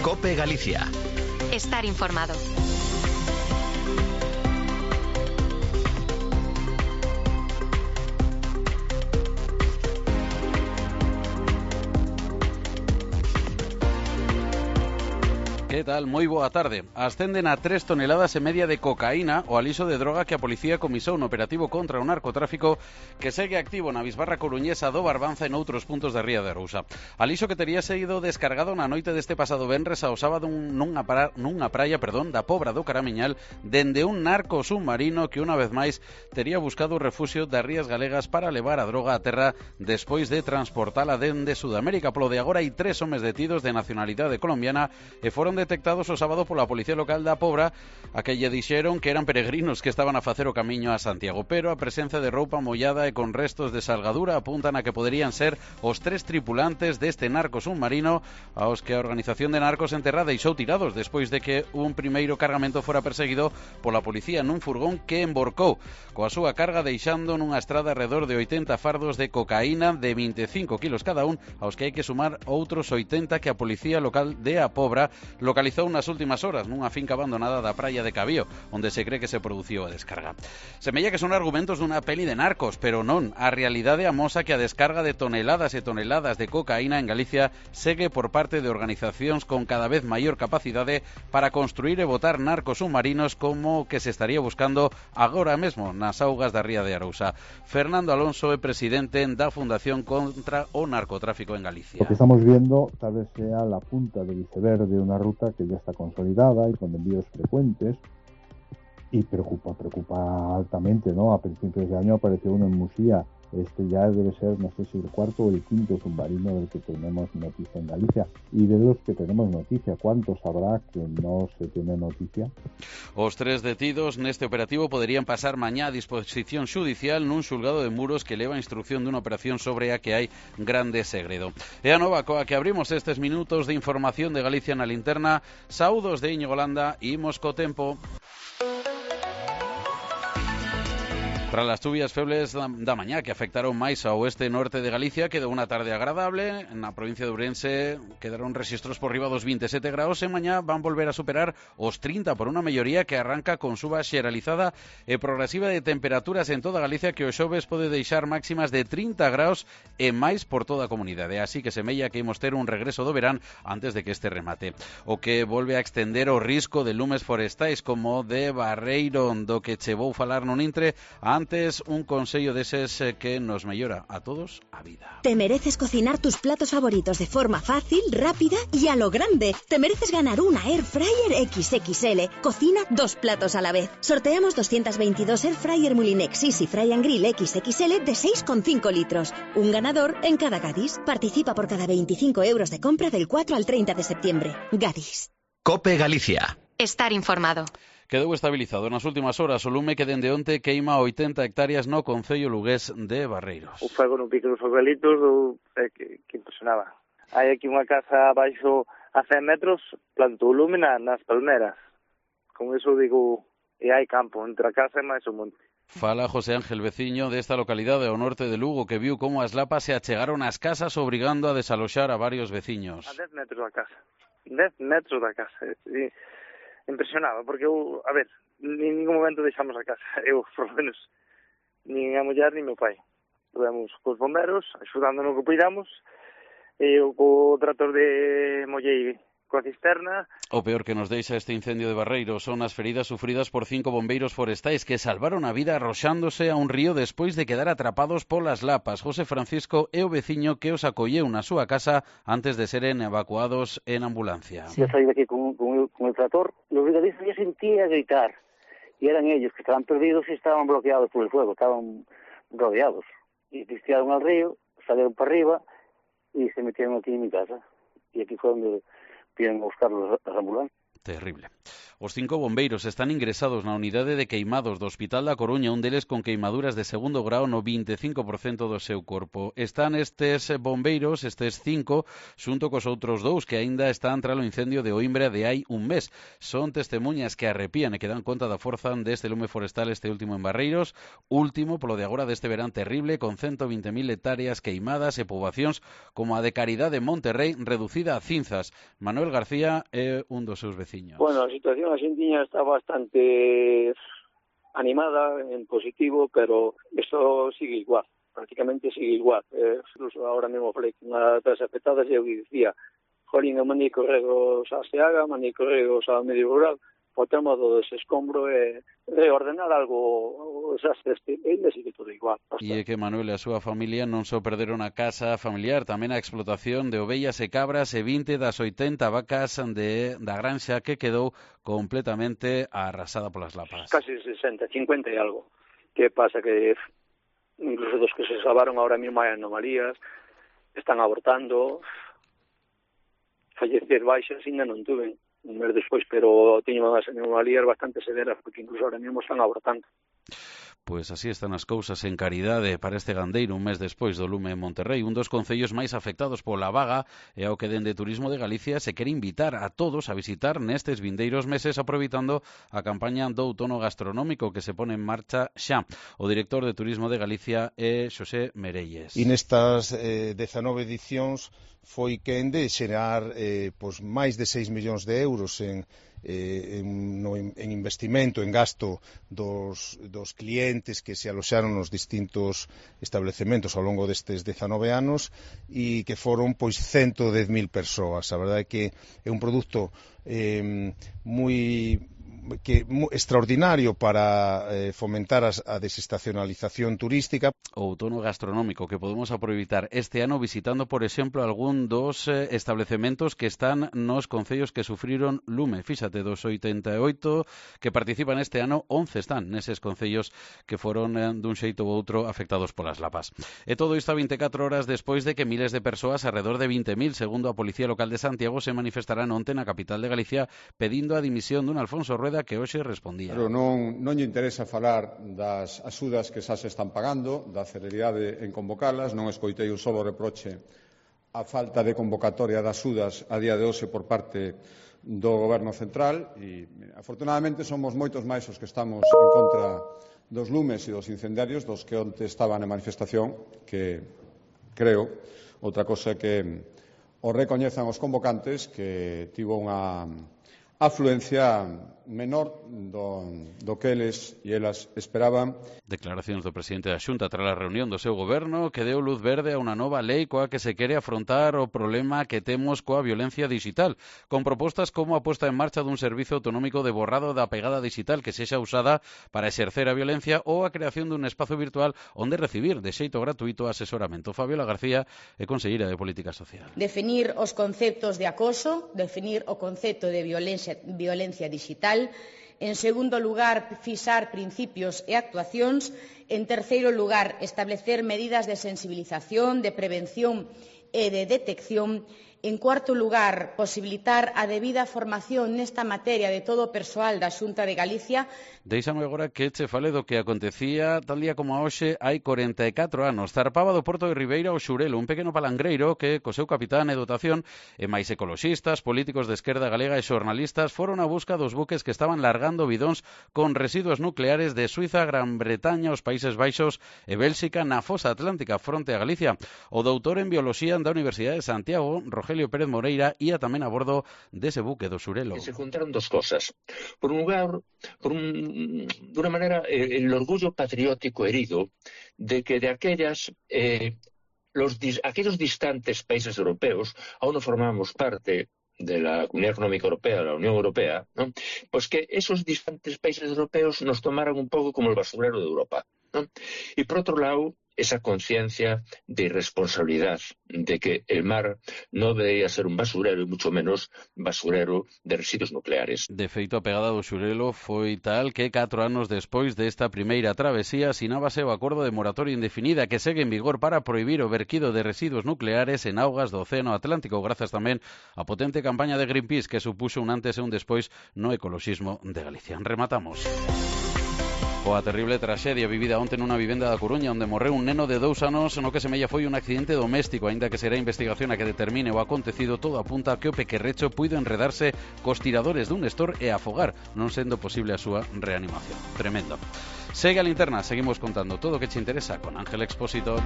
COPE Galicia. Estar informado. Que tal? Moi boa tarde. Ascenden a 3 toneladas e media de cocaína, o aliso de droga que a policía comisou no operativo contra o narcotráfico que segue activo na bisbarra coruñesa do Barbanza e noutros puntos da Ría de Arousa. Aliso que tería sido descargado na noite deste pasado venres ao sábado nunha praia da Pobra do Caramiñal dende un narco submarino que unha vez máis tería buscado o refuxio das rías galegas para levar a droga a terra despois de transportala dende Sudamérica. Polo de agora hai 3 homes detidos de nacionalidade colombiana e foron detectados o sábado pola Policía Local da Pobra, a que lle dixeron que eran peregrinos que estaban a facer o camiño a Santiago, pero a presencia de roupa mollada e con restos de salgadura apuntan a que poderían ser os 3 tripulantes deste narco submarino aos que a organización de narcos en terra deixou tirados despois de que un primeiro cargamento fora perseguido pola policía nun furgón que emborcou coa súa carga deixando nunha estrada alrededor de 80 fardos de cocaína de 25 kilos cada un, aos que hai que sumar outros 80 que a Policía Local de A Pobra localizou nas últimas horas nunha finca abandonada da praia de Cabío, onde se cree que se produciu a descarga. Semella que son argumentos dunha peli de narcos, pero non. A realidade amosa que a descarga de toneladas e toneladas de cocaína en Galicia segue por parte de organizacións con cada vez maior capacidade para construir e botar narcos submarinos como que se estaría buscando agora mesmo nas augas da Ría de Arousa. Fernando Alonso é presidente da Fundación contra o Narcotráfico en Galicia. Lo que estamos viendo tal vez sea la punta del iceberg de una ruta que ya está consolidada y con envíos frecuentes y preocupa altamente, ¿no? A principios de año apareció uno en Musía. Este ya debe ser, no sé si el 4º o el 5º submarino del que tenemos noticia en Galicia. Y de los que tenemos noticia, ¿cuántos habrá que no se tiene noticia? Os 3 detidos neste operativo poderían pasar mañá a disposición xudicial nun xulgado de Muros que leva a instrucción dunha operación sobre a que hai grande segredo. E a nova coa que abrimos estes minutos de información de Galicia na linterna. Saúdos de Íñigo Landa, imos co tempo. Tras as chuvias febles da mañá que afectaron máis ao oeste e norte de Galicia, quedou unha tarde agradable. Na provincia de Ourense quedaron rexistros por riba dos 27 graus e mañá van volver a superar os 30 por unha melloría que arranca con suba xeralizada e progresiva de temperaturas en toda Galicia que o xoves pode deixar máximas de 30 graus e máis por toda a comunidade. Así que semella que imos ter un regreso do verán antes de que este remate. O que volve a extender o risco de lumes forestais como de Barreiro, do que che vou falar non intre. Antes, un consello deses que nos mellora a todos a vida. Te mereces cocinar tus platos favoritos de forma fácil, rápida y a lo grande. Te mereces ganar una Air Fryer XXL. Cocina 2 platos a la vez. Sorteamos 222 Air Fryer Mulinex Easy Fry and Grill XXL de 6,5 litros. Un ganador en cada Gadis. Participa por cada 25 euros de compra del 4 al 30 de septiembre. Gadis. COPE Galicia. Estar informado. Quedou estabilizado nas últimas horas o lume que dende onte queima 80 hectáreas no concello lugués de Barreiros. O fuego non pica nos fogalitos que impresionaba. Hai aquí unha casa abaixo a 100 metros, plantou o lume nas palmeras. Con eso digo, e hai campo entre a casa e máis o monte. Fala José Ángel, veciño desta localidade ao norte de Lugo, que viu como as lapas se achegaron ás casas obrigando a desaloxar a varios veciños. A 10 metros da casa. 10 metros da casa. E impresionaba, porque eu, a ver, en ningún momento deixamos a casa. Eu, por lo menos, nin a muller, nin meu pai. Estuvemos cos bomberos, axudando no que poidamos, e eu co trator de mollei coa cisterna. O peor que nos deixa este incendio de Barreiros son as feridas sufridas por 5 bombeiros forestais que salvaron a vida arroxándose a un río despois de quedar atrapados polas lapas. José Francisco é o veciño que os acolleu na súa casa antes de seren evacuados en ambulancia. Eu saí daqui con el trator, los brigadistas ya sentía gritar, y eran ellos que estaban perdidos y estaban bloqueados por el fuego, estaban rodeados. Y pistearon al río, salieron para arriba y se metieron aquí en mi casa. Y aquí fue donde vienen a buscar las ambulancias. Terrible. Os 5 bombeiros están ingresados na unidade de queimados do Hospital da Coruña, un deles con queimaduras de segundo grao no 25% do seu corpo. Están estes bombeiros, estes 5, xunto cos outros 2 que aínda están tras o incendio de Oimbra de hai un mes. Son testemunhas que arrepían e que dan conta da forza deste lume forestal, este último en Barreiros, último polo de agora deste verán terrible, con 120.000 hectáreas queimadas e poboacións como a de Caridade Monterrey reducida a cinzas. Manuel García é un dos seus veciños. Bueno, a situación argentina está bastante animada, en positivo, pero esto sigue igual, prácticamente sigue igual. Incluso ahora mismo falei con unha das afectadas e eu dicía, jolín, eu mandei correos a SEAGA, mandei correos ao medio rural, o tema do desescombro e reordenar algo, xa ainda sigue todo igual. E é que Manuel e a súa familia non só perderon a casa familiar, tamén a explotación de ovellas e cabras e 20 das 80 vacas da granxa que quedou completamente arrasada polas lapas. Casi 60, 50 e algo. Que pasa que incluso dos que se salvaron ahora mismo hai anomalías, están abortando, fallecer baixas ainda non tuven un mes despois, pero teño unhas anomalías bastante severas, porque incluso ahora mesmo están abortando. Pois así están as cousas en Caridade para este gandeiro un mes despois do lume en Monterrey, un dos concellos máis afectados pola vaga, e ao que dende Turismo de Galicia se quere invitar a todos a visitar nestes vindeiros meses, aproveitando a campaña do outono gastronómico que se pone en marcha xa. O director de Turismo de Galicia é Xosé Merelles. E nestas 19 edicións foi quen de xerar máis de 6 millóns de euros en investimento, en gasto dos clientes que se aloxaron nos distintos establecementos ao longo destes 19 anos e que foron 110.000 persoas. A verdade é que é un produto moi extraordinario para fomentar a desestacionalización turística. O outono gastronómico que podemos aproveitar este ano visitando, por exemplo, algún dos establecementos que están nos concellos que sufriron lume. Fíxate, dos 88 que participan este ano, 11 están neses concellos que foron dun xeito ou outro afectados polas lapas. E todo isto a 24 horas despois de que miles de persoas, alrededor de 20.000, segundo a Policía Local de Santiago, se manifestarán onte na capital de Galicia pedindo a dimisión dun Alfonso Rueda que hoxe respondía. Pero non lle interesa falar das axudas que xa se están pagando, da celeridade en convocalas, non escoitei un solo reproche a falta de convocatoria de axudas a día de hoxe por parte do Goberno Central e, afortunadamente, somos moitos máis os que estamos en contra dos lumes e dos incendiarios dos que onte estaban en manifestación, que creo, outra cosa que o recoñezan os convocantes, que tivo unha afluencia menor do que eles e elas esperaban. Declaracións do presidente da Xunta tras a reunión do seu goberno que deu luz verde a unha nova lei coa que se quere afrontar o problema que temos coa violencia digital, con propostas como a posta en marcha dun servizo autonómico de borrado da pegada digital que sexa usada para exercer a violencia ou a creación dun espazo virtual onde recibir de xeito gratuito asesoramento. Fabiola García é conselleira de Política Social. Definir os conceptos de acoso, definir o concepto de violencia digital. En segundo lugar, fixar principios e actuacións. En terceiro lugar, establecer medidas de sensibilización, de prevención e de detección. En cuarto lugar, posibilitar a debida formación nesta materia de todo o persoal da Xunta de Galicia. Deixame agora que che fale do que acontecía tal día como a hoxe hai 44 anos. Zarpaba do Porto de Ribeira o Xurelo, un pequeno palangreiro que, co seu capitán e dotación, e máis ecoloxistas, políticos de esquerda galega e xornalistas foron a busca dos buques que estaban largando bidóns con residuos nucleares de Suiza, Gran Bretaña, os Países Baixos e Bélxica na fosa atlántica fronte a Galicia. O doutor en Bioloxía da Universidade de Santiago, Rogelio Pérez Moreira, ia tamén a bordo dese buque do Xurelo. Se juntaron dos cosas. Por un lugar, de una manera, el orgullo patriótico herido de que de aquellos distantes países europeos, aún no formamos parte de la Comunidad Económica Europea, de la Unión Europea, ¿no? Pues que esos distantes países europeos nos tomaran un poco como el basurero de Europa, ¿no? Y por otro lado, esa conciencia de irresponsabilidad, de que el mar no debería ser un basurero y mucho menos basurero de residuos nucleares. De feito, a pegada do Xurelo foi tal que 4 anos despois desta primeira travesía sinábase o acordo de moratoria indefinida que segue en vigor para prohibir o verquido de residuos nucleares en augas do Océano Atlántico, grazas tamén a potente campaña de Greenpeace que supuxo un antes e un despois no ecoloxismo de Galicia. Rematamos coa terrible traxedia vivida onte nunha vivenda da Coruña onde morreu un neno de 2 anos no que semella foi un accidente doméstico, aínda que será a investigación a que determine o acontecido. Todo apunta a que o pequerrecho puido enredarse cos tiradores dun Nestor e afogar, non sendo posible a súa reanimación. Tremendo. Segue a linterna, seguimos contando todo o que che interesa con Ángel Expósito.